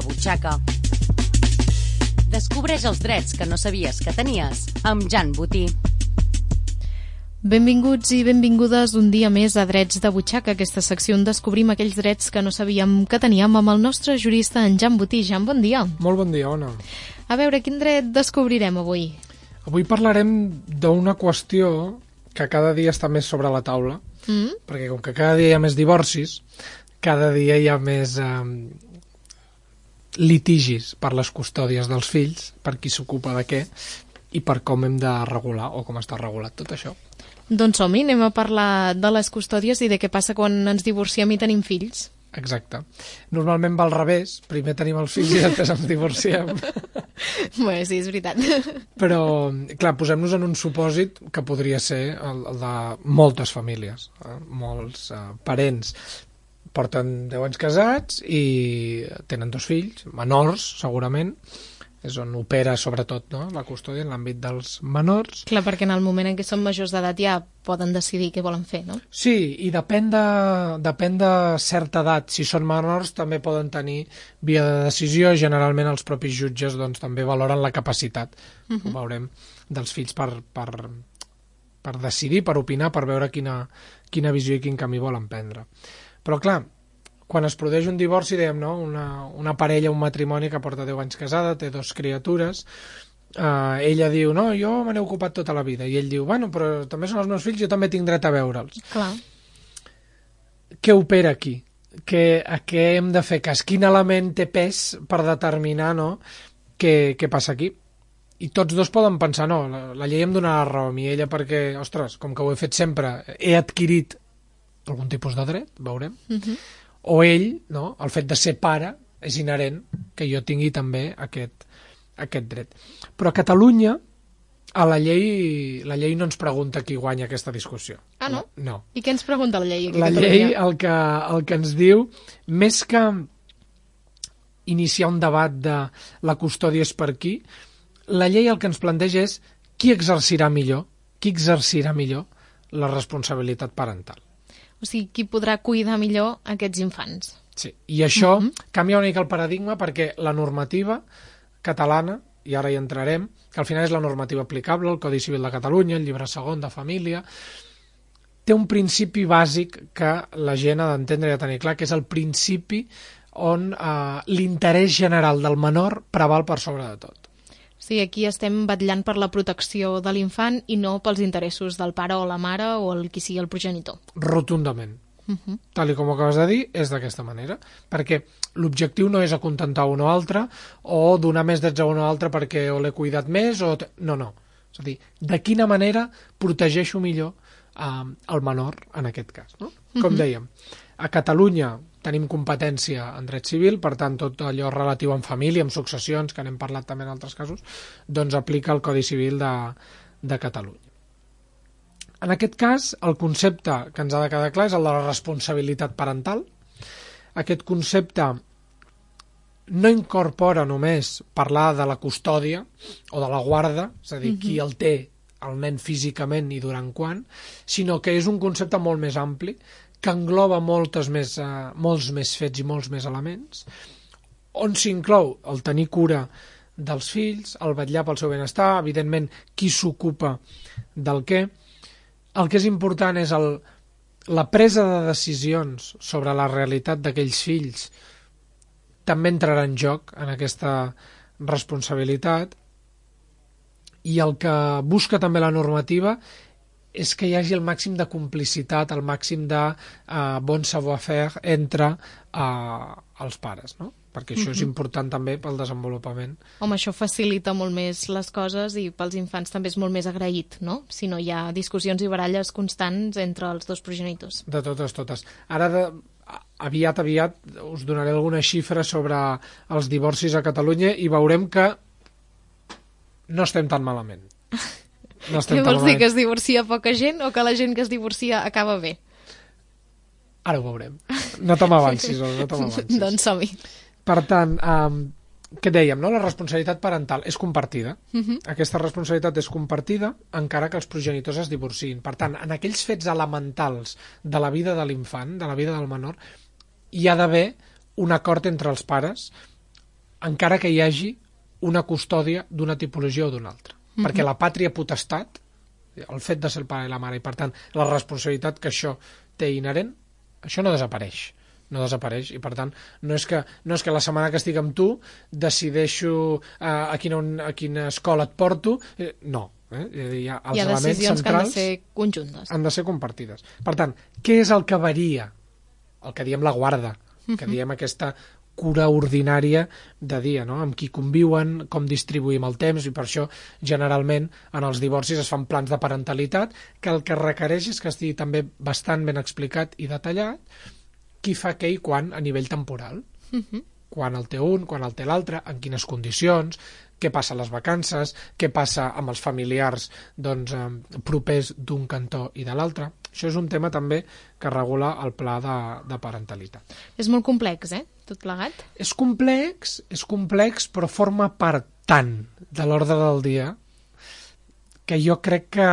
de butxaca. Descobreix els drets que no sabies que tenies amb Jan Botí. Benvinguts i benvingudes un dia més a Drets de Butxaca, aquesta secció on descobrim aquells drets que no sabíem que teníem amb el nostre jurista, en Jan Botí. Jan, bon dia. Molt bon dia, Ona. A veure, quin dret descobrirem avui? Avui parlarem d'una qüestió que cada dia està més sobre la taula, perquè com que cada dia hi ha més divorcis, cada dia hi ha més litigis per les custòdies dels fills, per qui s'ocupa de què i per com hem de regular o com està regulat tot això. Doncs som-hi, anem a parlar de les custòdies i de què passa quan ens divorciem i tenim fills. Exacte. Normalment va al revés, primer tenim els fills i després ens divorciem. Bé, sí, és veritat. Però, clar, posem-nos en un supòsit que podria ser el de moltes famílies, molts parents. Porten 10 anys casats i tenen 2 fills, menors, segurament. És on opera, sobretot, no?, la custòdia en l'àmbit dels menors. Clar, perquè en el moment en què són majors d'edat ja poden decidir què volen fer, no? Sí, i depèn de certa edat. Si són menors també poden tenir via de decisió. Generalment els propis jutges doncs, també valoren la capacitat, ho veurem, dels fills per decidir, per opinar, per veure quina visió i quin camí volen prendre. Però clar, quan es produeix un divorci, dèiem, no? Una parella, un matrimoni que porta 10 anys casada, té 2 criatures, ella diu, no, jo me n'he ocupat tota la vida, i ell diu, bueno, però també són els meus fills, jo també tinc dret a veure'ls. Clar. Què opera aquí? A què hem de fer cas? Quin element té pes per determinar, no?, què passa aquí? I tots dos poden pensar, no, la llei em donarà raó a mi, ella perquè, ostres, com que ho he fet sempre, he adquirit algun tipus de dret, veurem, o ell, no, el fet de ser pare és inherent que jo tingui també aquest dret. Però a Catalunya a la llei no ens pregunta qui guanya aquesta discussió. Ah, no? No. I què ens pregunta la llei? La llei el que ens diu, més que iniciar un debat de la custòdia és per qui, la llei el que ens planteja és qui exercirà millor la responsabilitat parental. O sigui, qui podrà cuidar millor aquests infants. Sí, i això canvia una mica el paradigma perquè la normativa catalana, i ara hi entrarem, que al final és la normativa aplicable, el Codi Civil de Catalunya, el llibre segon de família, té un principi bàsic que la gent ha d'entendre i ha de tenir clar, que és el principi on l'interès general del menor preval per sobre de tot. Sí, aquí estem vetllant per la protecció de l'infant i no pels interessos del pare o la mare o el qui sigui el progenitor. Rotundament. Tal com acabes de dir, és d'aquesta manera. Perquè l'objectiu no és acontentar un o altre o donar més drets a un o altre perquè o l'he cuidat més o... No. És a dir, de quina manera protegeixo millor el menor en aquest cas, no? Com dèiem, a Catalunya tenim competència en dret civil, per tant, tot allò relatiu amb família, amb successions, que n'hem parlat també en altres casos, doncs aplica el Codi Civil de Catalunya. En aquest cas, el concepte que ens ha de quedar clar és el de la responsabilitat parental. Aquest concepte no incorpora només parlar de la custòdia o de la guarda, és a dir, qui el té el nen físicament i durant quan, sinó que és un concepte molt més ampli, que engloba molts més fets i molts més elements, on s'inclou el tenir cura dels fills, el vetllar pel seu benestar, evidentment qui s'ocupa del què. El que és important és la presa de decisions sobre la realitat d'aquells fills també entrarà en joc en aquesta responsabilitat, i el que busca també la normativa és que hi hagi el màxim de complicitat, el màxim de bon savoir-faire entre els pares, no? Perquè això és important també pel desenvolupament. Home, això facilita molt més les coses i pels infants també és molt més agraït, no? Si no hi ha discussions i baralles constants entre els dos progenitors. De totes. Ara, aviat us donaré alguna xifra sobre els divorcis a Catalunya i veurem que no estem tan malament. Què vols dir, que es divorcia poca gent o que la gent que es divorcia acaba bé? Ara ho veurem. No te m'avancis. Doncs som-hi. Per tant, què dèiem, no? La responsabilitat parental és compartida. Aquesta responsabilitat és compartida encara que els progenitors es divorciïn. Per tant, en aquells fets elementals de la vida de l'infant, de la vida del menor, hi ha d'haver un acord entre els pares encara que hi hagi una custòdia d'una tipologia o d'una altra. Perquè la pàtria potestat, el fet de ser el pare i la mare, i per tant la responsabilitat que això té inherent, això no desapareix. No desapareix, i per tant no és que la setmana que estic amb tu decideixo a quina escola et porto, no. Hi ha decisions que han de ser conjuntes. Han de ser compartides. Per tant, què és el que varia? El que diem la guarda, que diem aquesta cura ordinària de dia, no? Amb qui conviuen, com distribuïm el temps, i per això generalment en els divorcis es fan plans de parentalitat, que el que requereix és que estigui també bastant ben explicat i detallat qui fa què i quan a nivell temporal. Quan el té un, quan el té l'altre, en quines condicions, què passa a les vacances, què passa amb els familiars propers d'un cantó i de l'altre. Això és un tema també que regula el pla de parentalitat. És molt complex, tot plegat? És complex, però forma part tant de l'ordre del dia que jo crec que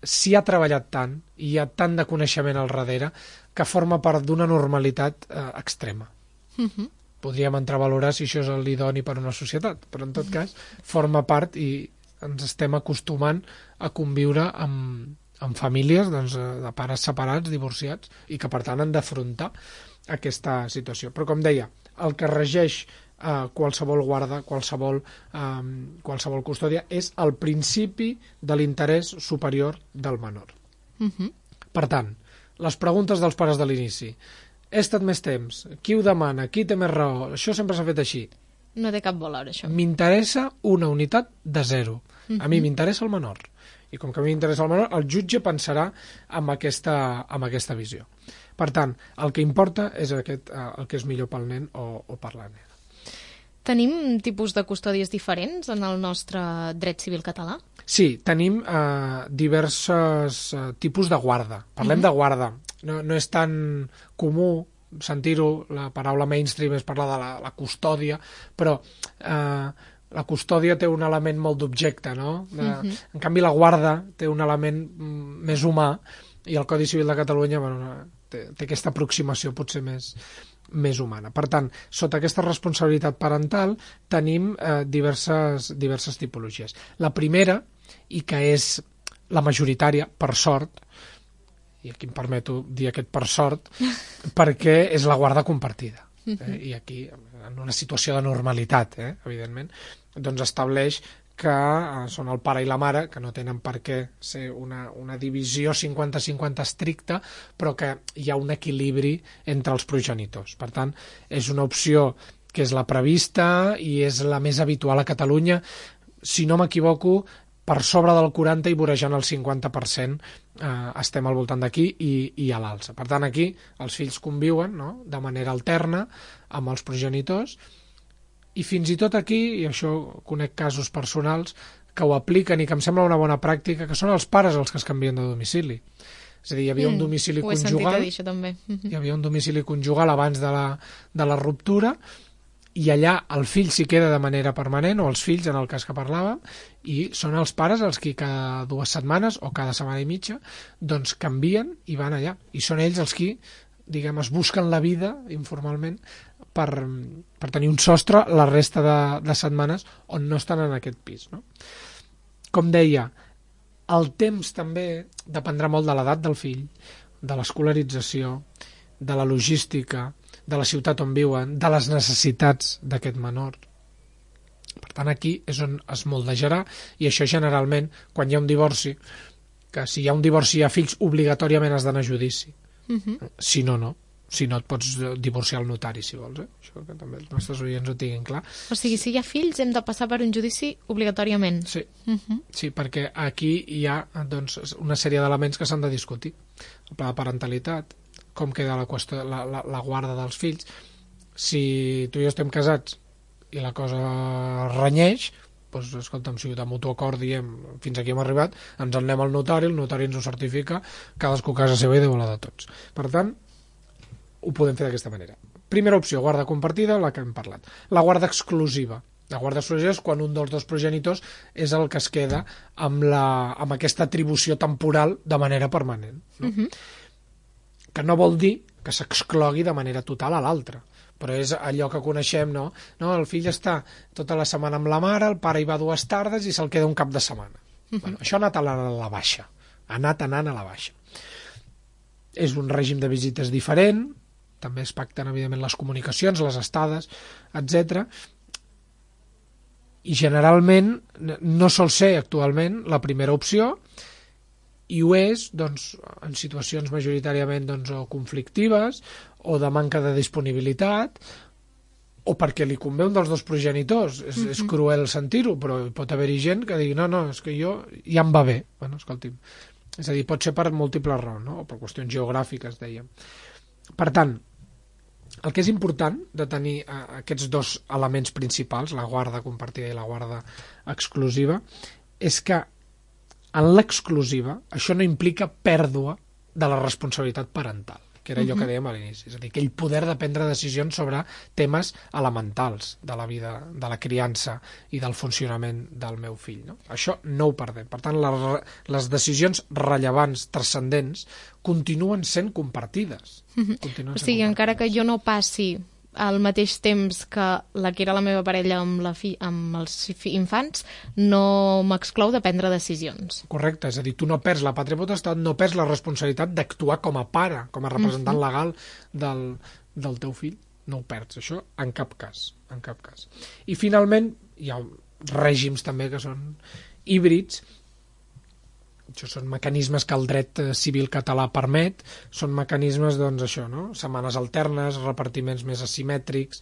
s'hi ha treballat tant i hi ha tant de coneixement al darrere que forma part d'una normalitat extrema. Podríem entrar a valorar si això és l'idoni per a una societat, però en tot cas forma part i ens estem acostumant a conviure amb famílies de pares separats, divorciats, i que per tant han d'afrontar aquesta situació. Però com deia, el que regeix qualsevol guarda, qualsevol custòdia, és el principi de l'interès superior del menor. Per tant, les preguntes dels pares de l'inici: he estat més temps, qui ho demana, qui té més raó, això sempre s'ha fet així. No té cap valor, això. M'interessa una unitat de 0. A mi m'interessa el menor. I com que a mi m'interessa el menor, el jutge pensarà amb aquesta visió. Per tant, el que importa és el que és millor pel nen o per la nena. Tenim tipus de custòdies diferents en el nostre dret civil català? Sí, tenim diversos tipus de guarda. Parlem de guarda. No és tan comú sentir-ho, la paraula mainstream és parlar de la custòdia, però la custòdia té un element molt d'objecte, no? En canvi, la guarda té un element més humà, i el Codi Civil de Catalunya té aquesta aproximació potser més humana. Per tant, sota aquesta responsabilitat parental tenim diverses tipologies. La primera, i que és la majoritària, per sort, i aquí em permeto dir aquest per sort, perquè és la guarda compartida. I aquí, en una situació de normalitat, evidentment, doncs estableix que són el pare i la mare, que no tenen per què ser una divisió 50-50 estricta, però que hi ha un equilibri entre els progenitors. Per tant, és una opció que és la prevista i és la més habitual a Catalunya. Si no m'equivoco, per sobre del 40 i vorejant el 50% estem al voltant d'aquí i a l'alça. Per tant, aquí els fills conviuen, no?, de manera alterna amb els progenitors, i fins i tot aquí, i això conec casos personals que ho apliquen i que em sembla una bona pràctica, que són els pares els que es canvien de domicili. És a dir, hi havia un domicili conjugal. Ho he sentit a dir, això també. Hi havia un domicili conjugal abans de la ruptura, i allà el fill s'hi queda de manera permanent, o els fills, en el cas que parlàvem, i són els pares els que cada 2 setmanes o cada setmana i mitja doncs canvien i van allà. I són ells els qui, diguem, es busquen la vida informalment per tenir un sostre la resta de setmanes on no estan en aquest pis, no? Com deia, el temps també dependrà molt de l'edat del fill, de l'escolarització, de la logística, de la ciutat on viuen, de les necessitats d'aquest menor. Per tant, aquí és on es moldejarà, i això generalment, quan hi ha un divorci, que si hi ha un divorci i hi ha fills, obligatòriament has d'anar a judici. Si no, no. Si no, et pots divorciar al notari, si vols. Això que també els nostres oients ho tinguin clar. O sigui, si hi ha fills, hem de passar per un judici obligatòriament. Sí, sí, perquè aquí hi ha doncs, una sèrie d'elements que s'han de discutir. El pla de parentalitat, com queda la guarda dels fills. Si tu i jo estem casats i la cosa renyeix, doncs, escolta'm, si de mutu acord diem fins aquí hem arribat, ens en anem al notari, el notari ens ho certifica, cadascú a casa seva i Déu la de tots. Per tant, ho podem fer d'aquesta manera. Primera opció, guarda compartida, la que hem parlat. La guarda exclusiva. La guarda exclusiva és quan un dels dos progenitors és el que es queda amb aquesta atribució temporal de manera permanent. No? Que no vol dir que s'exclogui de manera total a l'altre, però és allò que coneixem, no? No, el fill està tota la setmana amb la mare, el pare hi va 2 tardes i se'l queda un cap de setmana. Bueno, això ha anat a la baixa. Ha anat anant a la baixa. És un règim de visites diferent, també es pacten, evidentment, les comunicacions, les estades, etc. I generalment no sol ser actualment la primera opció, i ho és doncs, en situacions majoritàriament doncs, o conflictives o de manca de disponibilitat o perquè li convé un dels dos progenitors. És cruel sentir-ho, però pot haver-hi gent que digui no, és que jo ja em va bé. Bueno, escolti'm. És a dir, pot ser per múltiples raons, no? O per qüestions geogràfiques, dèiem. Per tant, el que és important de tenir aquests 2 elements principals, la guarda compartida i la guarda exclusiva, és que en l'exclusiva això no implica pèrdua de la responsabilitat parental, que era allò que dèiem a l'inici, és a dir, aquell poder de prendre decisions sobre temes elementals de la vida, de la criança i del funcionament del meu fill, no? Això no ho perdem. Per tant, les decisions rellevants, transcendents, continuen sent compartides. O sigui, encara que jo no passi al mateix temps que la que era la meva parella amb els infants, no m'exclou de prendre decisions. Correcte, és a dir, tu no perds la pàtria potestat, no perds la responsabilitat d'actuar com a pare, com a representant legal del teu fill. No ho perds, això en cap cas, en cap cas. I finalment hi ha règims també que són híbrids. Això són mecanismes que el dret civil català permet, són mecanismes, doncs, això, no? Setmanes alternes, repartiments més asimètrics,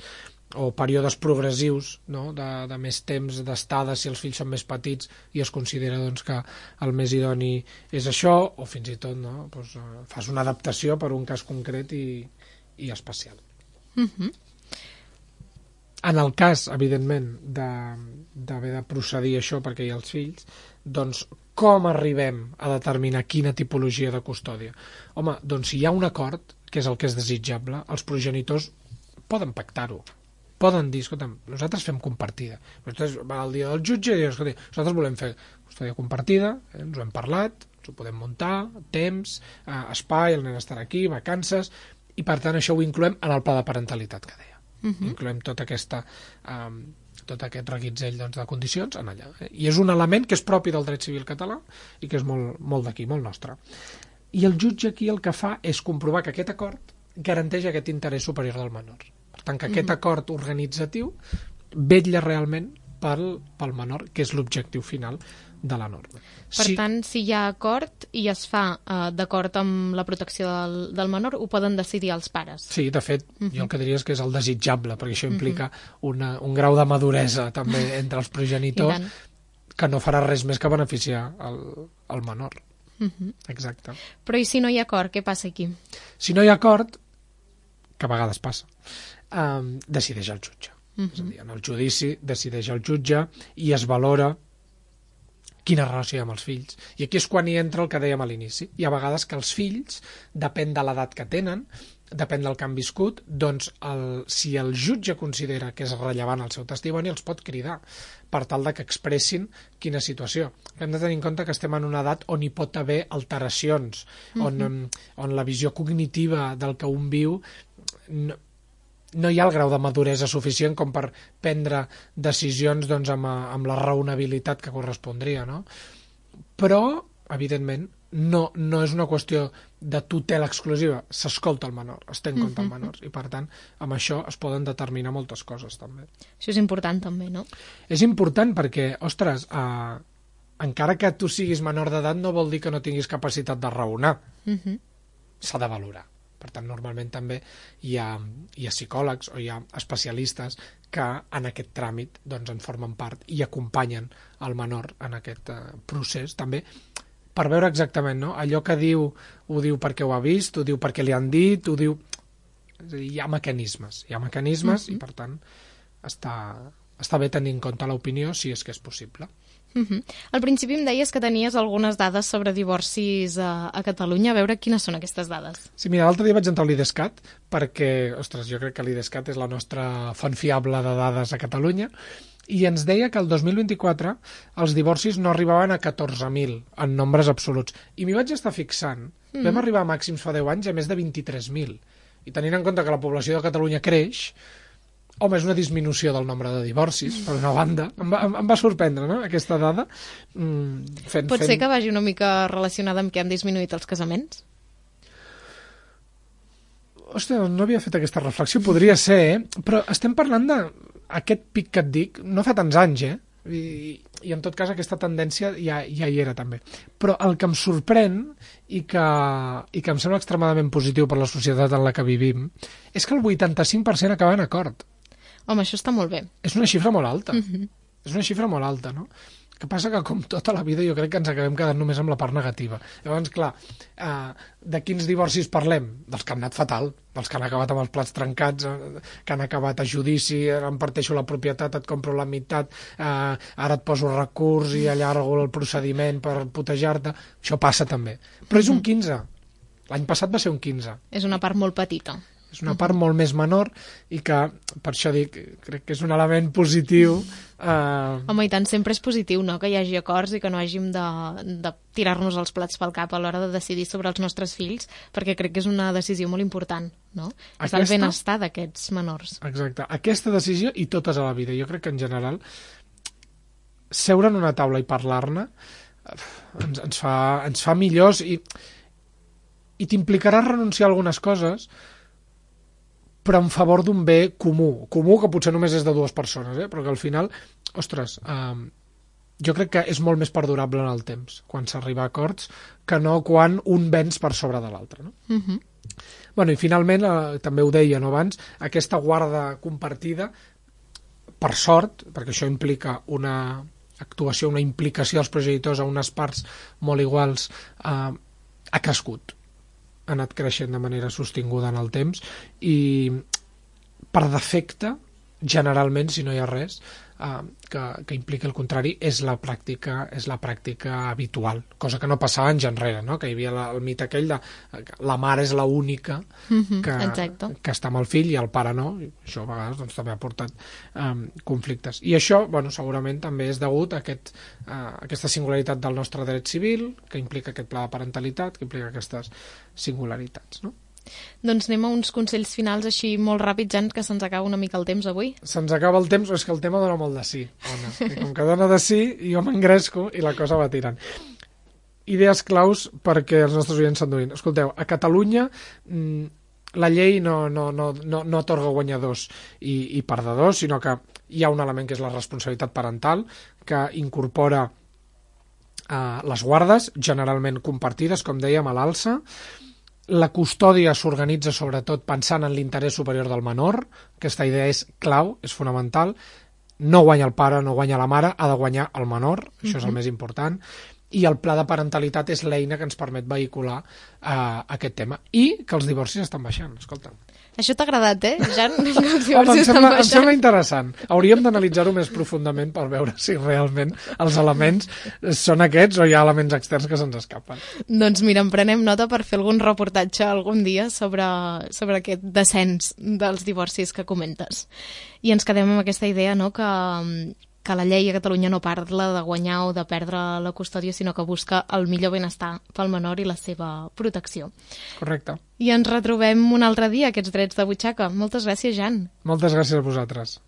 o períodes progressius, no? de més temps d'estada si els fills són més petits i es considera doncs, que el més idoni és això, o fins i tot no? Doncs, fas una adaptació per un cas concret i especial. En el cas, evidentment, d'haver de procedir això perquè hi ha els fills, doncs com arribem a determinar quina tipologia de custòdia? Home, doncs si hi ha un acord, que és el que és desitjable, els progenitors poden pactar-ho. Poden dir, escolta'm, nosaltres fem compartida. Nosaltres va al dia del jutge i diuen, escolta, nosaltres volem fer custòdia compartida, ens ho hem parlat, ens ho podem muntar, temps, espai, el nen estarà aquí, vacances, i per tant això ho incloem en el pla de parentalitat que deia. Incloem tot aquest reguitzell doncs, de condicions en allà. I és un element que és propi del dret civil català i que és molt, molt d'aquí, molt nostre. I el jutge aquí el que fa és comprovar que aquest acord garanteix aquest interès superior del menor. Per tant, que aquest acord organitzatiu vetlla realment pel menor, que és l'objectiu final de la norma. Per tant, si hi ha acord i es fa d'acord amb la protecció del menor, ho poden decidir els pares. Sí, de fet, jo el que diria és que és el desitjable, perquè això implica un grau de maduresa també entre els progenitors que no farà res més que beneficiar el menor. Exacte. Però i si no hi ha acord, què passa aquí? Si no hi ha acord, que a vegades passa, decideix el jutge. És a dir, en el judici decideix el jutge i es valora quina relació hi ha amb els fills. I aquí és quan hi entra el que dèiem a l'inici. Hi ha vegades que els fills, depèn de l'edat que tenen, depèn del que han viscut, doncs si el jutge considera que és rellevant el seu testimoni, els pot cridar per tal de que expressin quina situació. Hem de tenir en compte que estem en una edat on hi pot haver alteracions, on la visió cognitiva del que un viu no hi ha el grau de maduresa suficient com per prendre decisions doncs, amb la raonabilitat que correspondria, no? Però, evidentment, no és una qüestió de tutela exclusiva, s'escolta el menor, es té en compte el menor, i per tant, amb això es poden determinar moltes coses, també. Això és important, també, no? És important perquè, ostres, encara que tu siguis menor d'edat no vol dir que no tinguis capacitat de raonar. S'ha de valorar. Per tant, normalment també hi ha psicòlegs o hi ha especialistes que en aquest tràmit doncs, en formen part i acompanyen el menor en aquest procés també per veure exactament, no? Allò que diu, ho diu perquè ho ha vist, ho diu perquè li han dit, ho diu... És a dir, hi ha mecanismes i per tant està bé tenir en compte l'opinió si és que és possible. Al principi em deies que tenies algunes dades sobre divorcis a Catalunya. A veure quines són aquestes dades. Sí, mira, l'altre dia vaig entrar a l'IDESCAT perquè, ostres, jo crec que l'IDESCAT és la nostra font fiable de dades a Catalunya i ens deia que el 2024 els divorcis no arribaven a 14.000 en nombres absoluts. I m'hi vaig estar fixant. Vam arribar a màxims fa 10 anys a més de 23.000. i tenint en compte que la població de Catalunya creix, home, és una disminució del nombre de divorcis, per una banda. Em va sorprendre, no?, aquesta dada. Pot ser que vagi una mica relacionada amb que han disminuït els casaments? Ostres, no havia fet aquesta reflexió. Podria ser, però estem parlant d'aquest pic que et dic, no fa tants anys, I en tot cas aquesta tendència ja hi era també. Però el que em sorprèn i que em sembla extremadament positiu per la societat en la que vivim és que el 85% acaba en acord. Home, això està molt bé. És una xifra molt alta. És una xifra molt alta, no? El que passa que, com tota la vida, jo crec que ens acabem quedant només amb la part negativa. Llavors, clar, de quins divorcis parlem? Dels que han anat fatal, dels que han acabat amb els plats trencats, que han acabat a judici, em parteixo la propietat, et compro la meitat, ara et poso recurs i allargo el procediment per putejar-te. Això passa també. Però és un 15. L'any passat va ser un 15. És una part molt petita. És una part molt més menor i que, per això dic, crec que és un element positiu. Home, i tant, sempre és positiu, no?, que hi hagi acords i que no hàgim de tirar-nos els plats pel cap a l'hora de decidir sobre els nostres fills, perquè crec que és una decisió molt important, no? És el benestar d'aquests menors. Exacte. Aquesta decisió i totes a la vida. Jo crec que, en general, seure en una taula i parlar-ne ens fa millors i t'implicarà renunciar a algunes coses, però en favor d'un bé comú que potser només és de dues persones, però que al final, ostres, jo crec que és molt més perdurable en el temps, quan s'arriba a acords, que no quan un venç per sobre de l'altre, no? Bueno, i finalment, també ho deia, no, abans, aquesta guarda compartida, per sort, perquè això implica una actuació, una implicació dels progenitors a unes parts molt iguals, ha crescut. Ha anat creixent de manera sostinguda en el temps i per defecte, generalment, si no hi ha res que impliqui el contrari, és la pràctica habitual, cosa que no passava anys enrere, no? Que hi havia el mite aquell de la mare és l'única que està amb el fill i el pare no, i això a vegades doncs, també ha portat conflictes. I això, bueno, segurament també és degut a aquesta singularitat del nostre dret civil, que implica aquest pla de parentalitat, que implica aquestes singularitats, no? Doncs anem a uns consells finals així molt ràpids, Jan, que se'ns acaba una mica el temps avui. Se'ns acaba el temps, és que el tema dona molt de sí, Ona. I com que dona de sí, jo m'engresco i la cosa va tirant. Idees claus perquè els nostres oients s'enduïn. Escolteu, a Catalunya la llei no atorga guanyadors i perdedors, sinó que hi ha un element que és la responsabilitat parental, que incorpora les guardes, generalment compartides, com dèiem, a l'alça. La custòdia s'organitza sobretot pensant en l'interès superior del menor. Aquesta idea és clau, és fonamental. No guanya el pare, no guanya la mare, ha de guanyar el menor, això és el més important. I el pla de parentalitat és l'eina que ens permet vehicular aquest tema. I que els divorcis estan baixant, escolta. Això t'ha agradat, Jan? Home, em sembla interessant. Hauríem d'analitzar-ho més profundament per veure si realment els elements són aquests o hi ha elements externs que se'ns escapen. Doncs mira, en prenem nota per fer algun reportatge algun dia sobre aquest descens dels divorcis que comentes. I ens quedem amb aquesta idea, no?, que la llei a Catalunya no parla de guanyar o de perdre la custòdia, sinó que busca el millor benestar pel menor i la seva protecció. Correcte. I ens retrobem un altre dia, aquests drets de butxaca. Moltes gràcies, Jan. Moltes gràcies a vosaltres.